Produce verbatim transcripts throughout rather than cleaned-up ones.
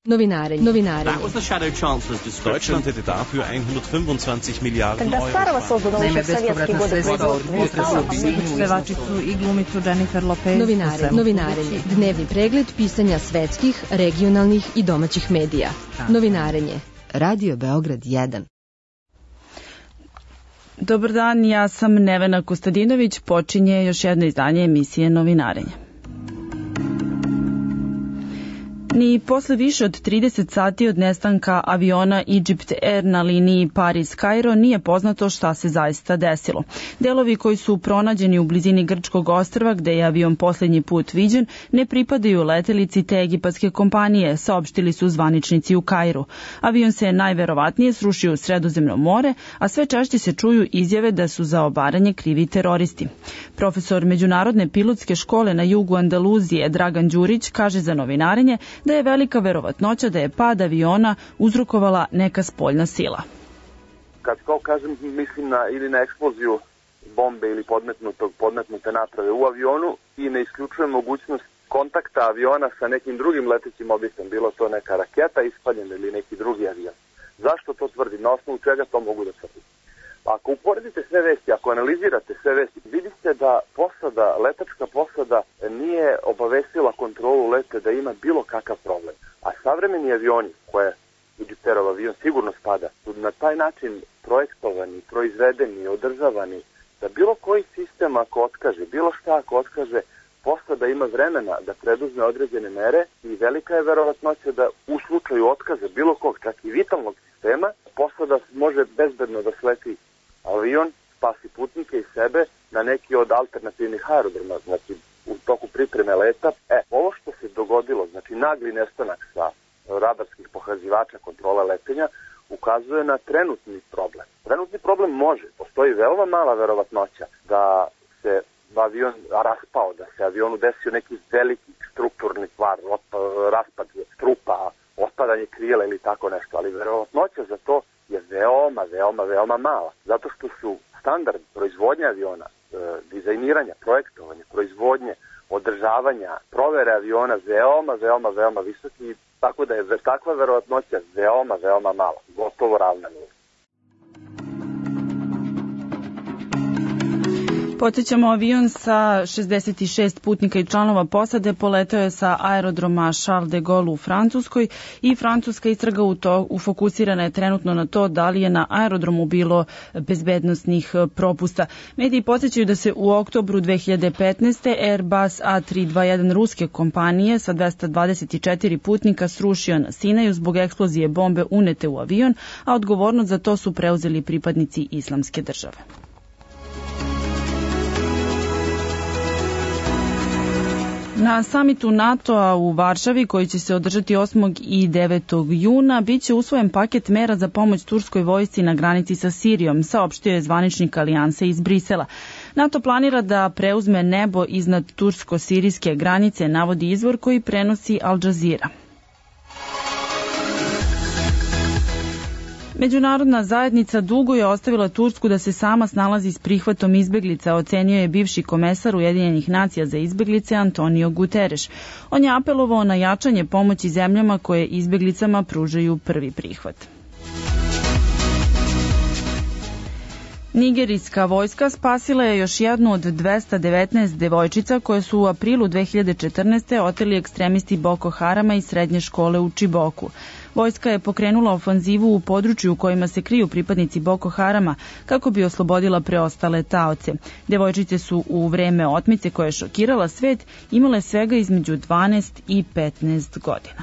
Novinarenje. Novinarenje. That was the Shadow Chancellor's description. Deutschland hätte dafür hundertfünfundzwanzig Milliarden Euro. Naime, bespovratna sredstva od potresa u pisanju pevačicu i glumicu Jennifer Lopez. Novinarenje. Novinarenje. Dnevni pregled pisanja svetskih, regionalnih i domaćih medija. Novinarenje. Radio Beograd jedan. Dobar dan, ja sam Nevena Kostadinović, počinje još jedno izdanje emisije Novinarenje. Ni posle više od trideset sati od nestanka aviona Egypt Air na liniji Paris-Kairo nije poznato šta se zaista desilo. Delovi koji su pronađeni u blizini Grčkog ostrva, gde je avion poslednji put viđen, ne pripadaju letelici te egipatske kompanije, saopštili su zvaničnici u Kairu. Avion se najverovatnije srušio u Sredozemno more, a sve češće se čuju izjave da su za obaranje krivi teroristi. Profesor Međunarodne pilotske škole na jugu Andaluzije Dragan Đurić kaže za Novinarenje da je velika verovatnoća da je pad aviona uzrokovala neka spoljna sila. Kad to kažem, mislim na ili na eksploziju bombe ili podmetnutog, podmetnute naprave u avionu i ne isključujem mogućnost kontakta aviona sa nekim drugim letećim objektom, bilo to neka raketa ispaljena ili neki drugi avion. Zašto to tvrdim? Na osnovu čega to mogu da tvrdim? Ako uporedite sve vesti, ako analizirate sve vesti, vidite da posada, letačka posada nije obavestila kontrolu lete da ima bilo kakav problem. A savremeni avioni, koje Egypterov avion sigurno spada, su na taj način projektovani, proizvedeni, održavani, da bilo koji sistem ako otkaže, bilo šta ako otkaže, posada ima vremena da preduzme određene mere i velika je verovatnoća da u slučaju otkaza bilo kog, čak i vitalnog sistema, posada može bezbedno da sleti avion, spasi putnike i sebe na neki od alternativnih aerodroma, znači u toku pripreme leta. E, ovo što se dogodilo, znači nagli nestanak sa radarskih pokazivača kontrole letenja, ukazuje na trenutni problem. Trenutni problem može, postoji veoma mala verovatnoća da se avion raspao, da se avionu desio neki veliki strukturni kvar, raspad strupa, otpadanje krila ili tako nešto, ali verovatnoća za to je veoma, veoma, veoma mala. Zato što su standard proizvodnje aviona, e, dizajniranja, projektovanja, proizvodnje, održavanja, provere aviona veoma, veoma, veoma visoki, tako da je takva verovatnoća veoma, veoma mala, gotovo ravna nula. Podsjećamo, avion sa šezdeset šest putnika i članova posade poletao je sa aerodroma Charles de Gaulle u Francuskoj i francuska istraga u to ufokusirana je trenutno na to da li je na aerodromu bilo bezbednosnih propusta. Mediji podsjećaju da se u oktobru dve hiljade petnaeste. Airbus A tri dvadeset jedan ruske kompanije sa dvesta dvadeset četiri putnika srušio na Sinaju zbog eksplozije bombe unete u avion, a odgovornost za to su preuzeli pripadnici Islamske države. Na samitu NATO-a u Varšavi, koji će se održati osmog i devetog juna, biće usvojen paket mera za pomoć turskoj vojsci na granici sa Sirijom, saopštio je zvaničnik alijanse iz Brisela. NATO planira da preuzme nebo iznad tursko-sirijske granice, navodi izvor koji prenosi Al Jazeera. Međunarodna zajednica dugo je ostavila Tursku da se sama snalazi s prihvatom izbeglica, ocenio je bivši komesar Ujedinjenih nacija za izbeglice Antonio Guterres. On je apelovao na jačanje pomoći zemljama koje izbeglicama pružaju prvi prihvat. Nigerijska vojska spasila je još jednu od dvesta devetnaest devojčica koje su u aprilu dve hiljade četrnaeste. oteli ekstremisti Boko Harama iz srednje škole u Čiboku. Vojska je pokrenula ofanzivu u području u kojima se kriju pripadnici Boko Harama kako bi oslobodila preostale taoce. Devojčice su u vreme otmice koja je šokirala svet imale svega između dvanaest i petnaest godina.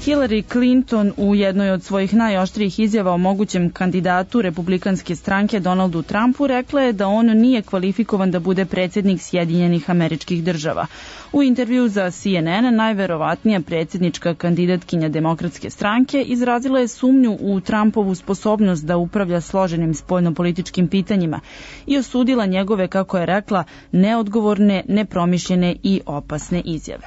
Hillary Clinton u jednoj od svojih najoštrijih izjava o mogućem kandidatu republikanske stranke Donaldu Trumpu rekla je da on nije kvalifikovan da bude predsjednik Sjedinjenih Američkih Država. U intervju za C N N najverovatnija predsjednička kandidatkinja demokratske stranke izrazila je sumnju u Trumpovu sposobnost da upravlja složenim spoljnopolitičkim pitanjima i osudila njegove, kako je rekla, neodgovorne, nepromišljene i opasne izjave.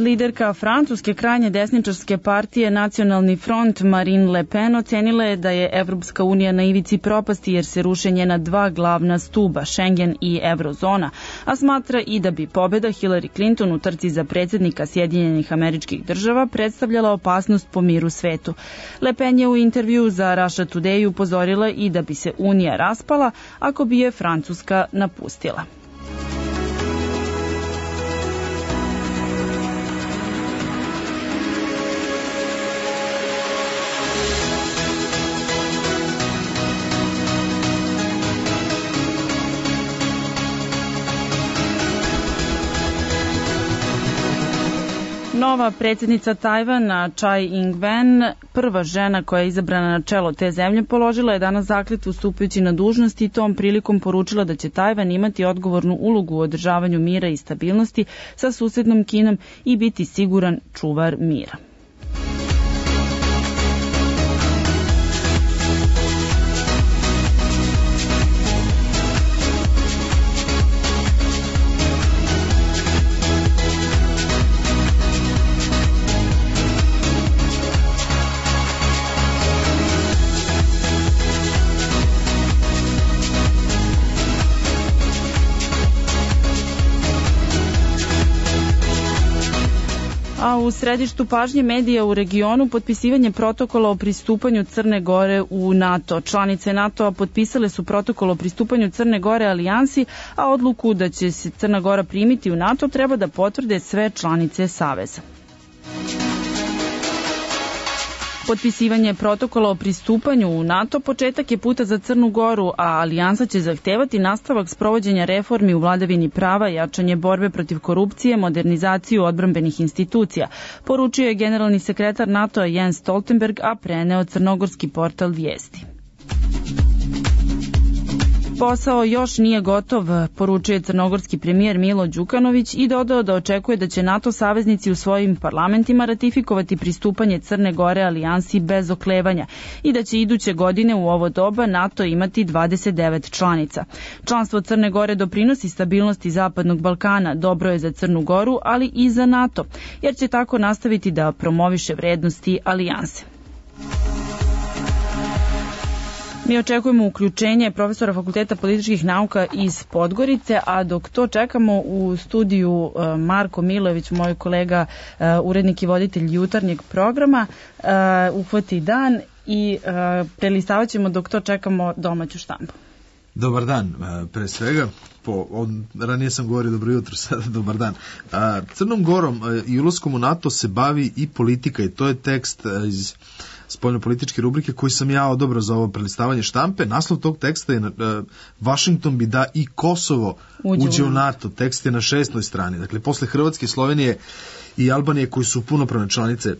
Liderka francuske krajnje desničarske partije Nacionalni front Marine Le Pen ocenila je da je Evropska unija na ivici propasti jer se ruše njena dva glavna stuba, Schengen i Eurozona, a smatra i da bi pobeda Hillary Clinton u trci za predsjednika Sjedinjenih Američkih Država predstavljala opasnost po miru svetu. Le Pen je u intervju za Russia Today upozorila i da bi se Unija raspala ako bi je Francuska napustila. Nova predsjednica Tajvana, Tsai Ing-wen, prva žena koja je izabrana na čelo te zemlje, položila je danas zakletvu stupajući na dužnost i tom prilikom poručila da će Tajvan imati odgovornu ulogu u održavanju mira i stabilnosti sa susednom Kinom i biti siguran čuvar mira. A u središtu pažnje medija u regionu potpisivanje protokola o pristupanju Crne Gore u NATO. Članice NATO-a potpisale su protokol o pristupanju Crne Gore alijansi, a odluku da će se Crna Gora primiti u NATO treba da potvrde sve članice Saveza. Potpisivanje protokola o pristupanju u NATO početak je puta za Crnu Goru, a alijansa će zahtevati nastavak sprovođenja reformi u vladavini prava, jačanje borbe protiv korupcije, modernizaciju odbrambenih institucija, poručio je generalni sekretar NATO-a Jens Stoltenberg, a preneo crnogorski portal Vijesti. Posao još nije gotov, poručuje crnogorski premijer Milo Đukanović i dodao da očekuje da će NATO saveznici u svojim parlamentima ratifikovati pristupanje Crne Gore alijansi bez oklevanja i da će iduće godine u ovo doba NATO imati dvadeset devet članica. Članstvo Crne Gore doprinosi stabilnosti Zapadnog Balkana, dobro je za Crnu Goru, ali i za NATO, jer će tako nastaviti da promoviše vrednosti alijanse. Mi očekujemo uključenje profesora Fakulteta političkih nauka iz Podgorice, a dok to čekamo u studiju Marko Milojević, moj kolega, urednik i voditelj jutarnjeg programa, uhvati dan i prelistavat ćemo dok to čekamo domaću štampu. Dobar dan, pre svega. Po, on, ranije sam govorio dobro jutro, sada dobar dan. A, Crnom Gorom i ulaskom u NATO se bavi i politika i to je tekst iz spoljnopolitičke rubrike koji sam ja odabrao za ovo prelistavanje štampe. Naslov tog teksta je uh, Washington bi da i Kosovo uđe, uđe u NATO. Tekst je na šestnoj strani. Dakle, posle Hrvatske, Slovenije i Albanije koji su punopravne članice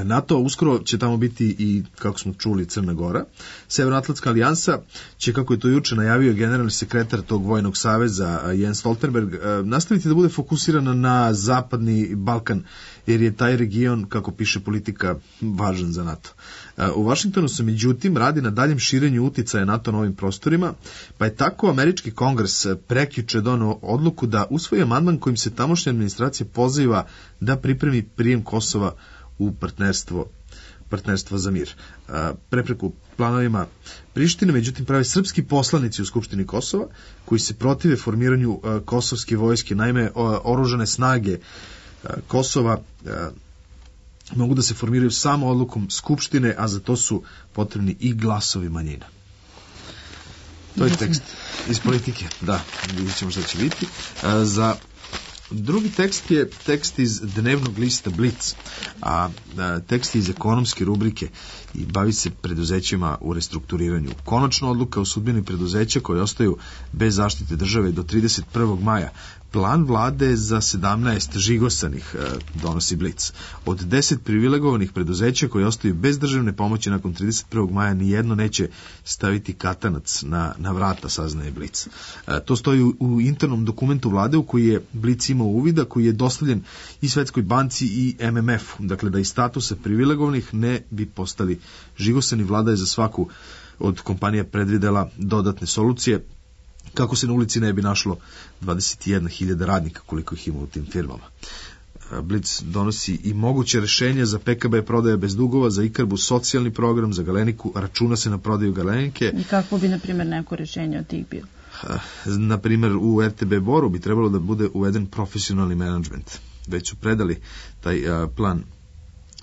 NATO, uskoro će tamo biti i, kako smo čuli, Crna Gora. Severnoatlantska alijansa će, kako je to juče najavio generalni sekretar tog vojnog saveza Jens Stoltenberg, nastaviti da bude fokusirana na zapadni Balkan, jer je taj region, kako piše politika, važan za NATO. U Vašingtonu se međutim radi na daljem širenju uticaja NATO na ovim prostorima, pa je tako američki kongres prekjuče doneo odluku da usvoji amandman kojim se tamošnja administracija poziva da pripremi prijem Kosova u partnerstvo, partnerstvo za mir. Prepreku planovima Prištine, međutim, pravi srpski poslanici u Skupštini Kosova, koji se protive formiranju kosovske vojske. Naime, oružane snage Kosova mogu da se formiraju samo odlukom Skupštine, a za to su potrebni i glasovi manjina. To je tekst iz politike. Da, vidjet ćemo šta će biti. Za drugi tekst je tekst iz dnevnog lista Blic, a, a tekst je iz ekonomske rubrike i bavi se preduzećima u restrukturiranju. Konačna odluka o sudbini preduzeća koje ostaju bez zaštite države do trideset prvog maja. Plan vlade za sedamnaest žigosanih e, donosi Blic. Od deset privilegovanih preduzeća koje ostaju bez državne pomoći nakon trideset prvog maja nijedno neće staviti katanac na, na vrata, saznaje Blic. E, to stoji u, u internom dokumentu vlade u koji je Blic imao uvida, koji je dostavljen i Svetskoj banci i M M F-u. Dakle, da iz statusa privilegovanih ne bi postali žigosani. Vlada je za svaku od kompanija predvidela dodatne solucije kako se na ulici ne bi našlo dvadeset jedna hiljada radnika koliko ih ima u tim firmama. Blic donosi i moguće rešenja za P K B prodaje bez dugova, za Ikarbu socijalni program, za Galeniku računa se na prodaju Galenike. I kako bi, na primjer, neko rešenje od tih bilo? Na primjer, u R T B Boru bi trebalo da bude uveden profesionalni menadžment. Već su predali taj a, plan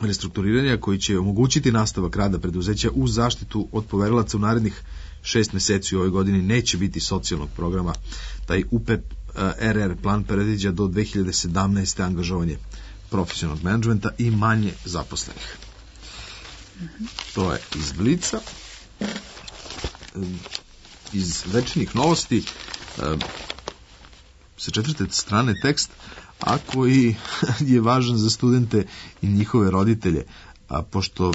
restrukturiranja koji će omogućiti nastavak rada preduzeća uz zaštitu od poverilaca u narednih šest meseci. U ovoj godini neće biti socijalnog programa. Taj U P R R plan predviđa do dve hiljade sedamnaeste. angažovanje profesionalnog menadžmenta i manje zaposlenih. To je iz Blica. Iz Večernjih novosti sa četvrte strane tekst, a koji je važan za studente i njihove roditelje, a pošto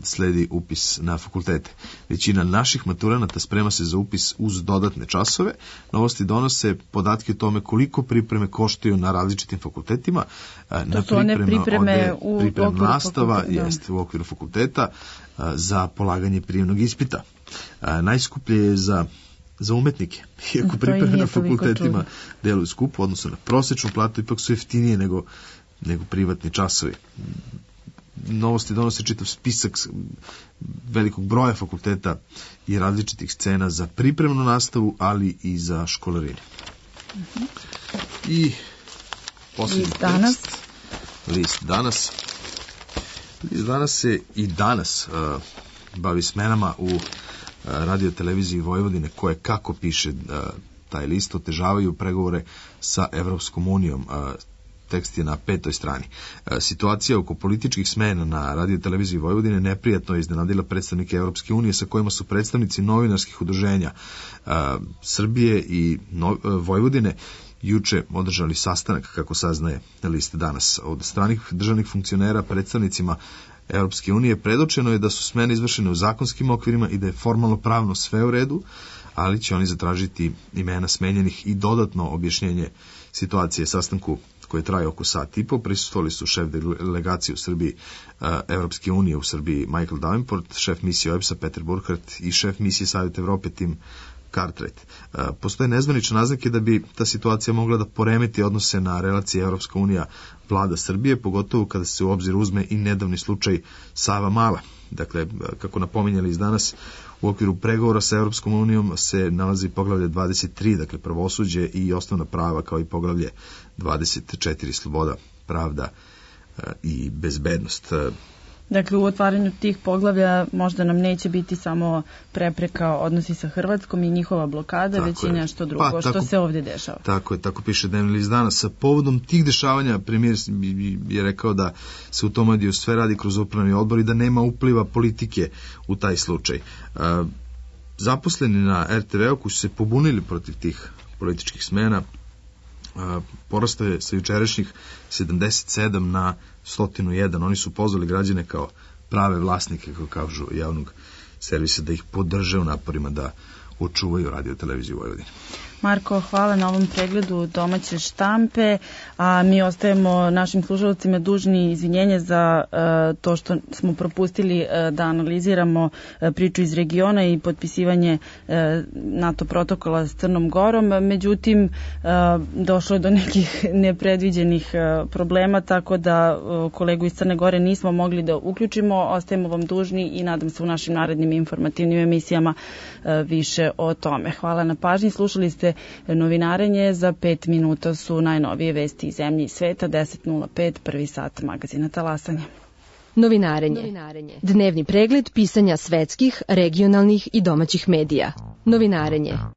sledi upis na fakultete. Većina naših maturanata sprema se za upis uz dodatne časove. Novosti donose podatke o tome koliko pripreme koštaju na različitim fakultetima. To na su one pripreme u priprem okviru nastava, fakulteta. Jeste, u okviru fakulteta za polaganje prijemnog ispita. Najskuplje je za za umetnike, iako pripreme na fakultetima deluju skupo, odnosno na prosečnu platu, ipak su jeftinije nego, nego privatni časovi. Novosti donose čitav spisak velikog broja fakulteta i različitih scena za pripremnu nastavu, ali i za školarine. Uh-huh. I posljednji List danas. tekst. List danas. List danas se i danas uh, bavi smenama u uh, radio televiziji Vojvodine, koje, kako piše uh, taj list, otežavaju pregovore sa Evropskom unijom. Uh, tekst je na petoj strani. Situacija oko političkih smena na radio televiziji Vojvodine neprijatno je iznenadila predstavnike Evropske unije, sa kojima su predstavnici novinarskih udruženja Srbije i Vojvodine juče održali sastanak, kako saznaje list danas. Od stranih državnih funkcionera predstavnicima Evropske unije predočeno je da su smene izvršene u zakonskim okvirima i da je formalno pravno sve u redu, ali će oni zatražiti imena smenjenih i dodatno objašnjenje situacije. Sastanku koje traje oko sat i po, prisustvovali su šef delegacije u Srbiji Evropske unije u Srbiji Michael Davenport, šef misije O E B S-a Peter Burkhardt i šef misije Savjeta Evrope Tim Cartwright. Postoje nezvanične naznake da bi ta situacija mogla da poremeti odnose na relacije Evropska unija vlada Srbije, pogotovo kada se u obzir uzme i nedavni slučaj Sava Mala. Dakle, kako napominjali iz danas, u okviru pregovora sa Evropskom unijom se nalazi poglavlje dvadeset tri, dakle pravosuđe i osnovna prava, kao i poglavlje dvadeset četiri, sloboda, pravda i bezbednost. Dakle, u otvaranju tih poglavlja možda nam neće biti samo prepreka odnosi sa Hrvatskom i njihova blokada, tako već i nešto drugo, pa, tako, što se ovdje dešava. Tako je, tako piše dnevni list danas. Sa povodom tih dešavanja premijer je rekao da se u tom mediju sve radi kroz upravni odbor i da nema upliva politike u taj slučaj. Zaposleni na R T V-u koji su se pobunili protiv tih političkih smena porastao je sa jučerašnjih sedamdeset sedam na sto jedan. Oni su pozvali građane kao prave vlasnike, kako kažu, javnog servisa, da ih podrže u naporima da očuvaju radio televiziju Vojvodine. Marko, hvala na ovom pregledu domaće štampe, a mi ostajemo našim slušalcima dužni izvinjenje za uh, to što smo propustili uh, da analiziramo uh, priču iz regiona i potpisivanje uh, NATO protokola s Crnom Gorom. Međutim, uh, došlo je do nekih nepredviđenih uh, problema, tako da uh, kolegu iz Crne Gore nismo mogli da uključimo. Ostajemo vam dužni i nadam se u našim narednim informativnim emisijama uh, više o tome. Hvala na pažnji. Slušali ste novinarenje, za pet minuta su najnovije vesti iz zemlje i sveta, deset nula pet, prvi sat magazina Talasanje. Novinarenje. Novinarenje. Dnevni pregled pisanja svetskih, regionalnih i domaćih medija. Novinarenje.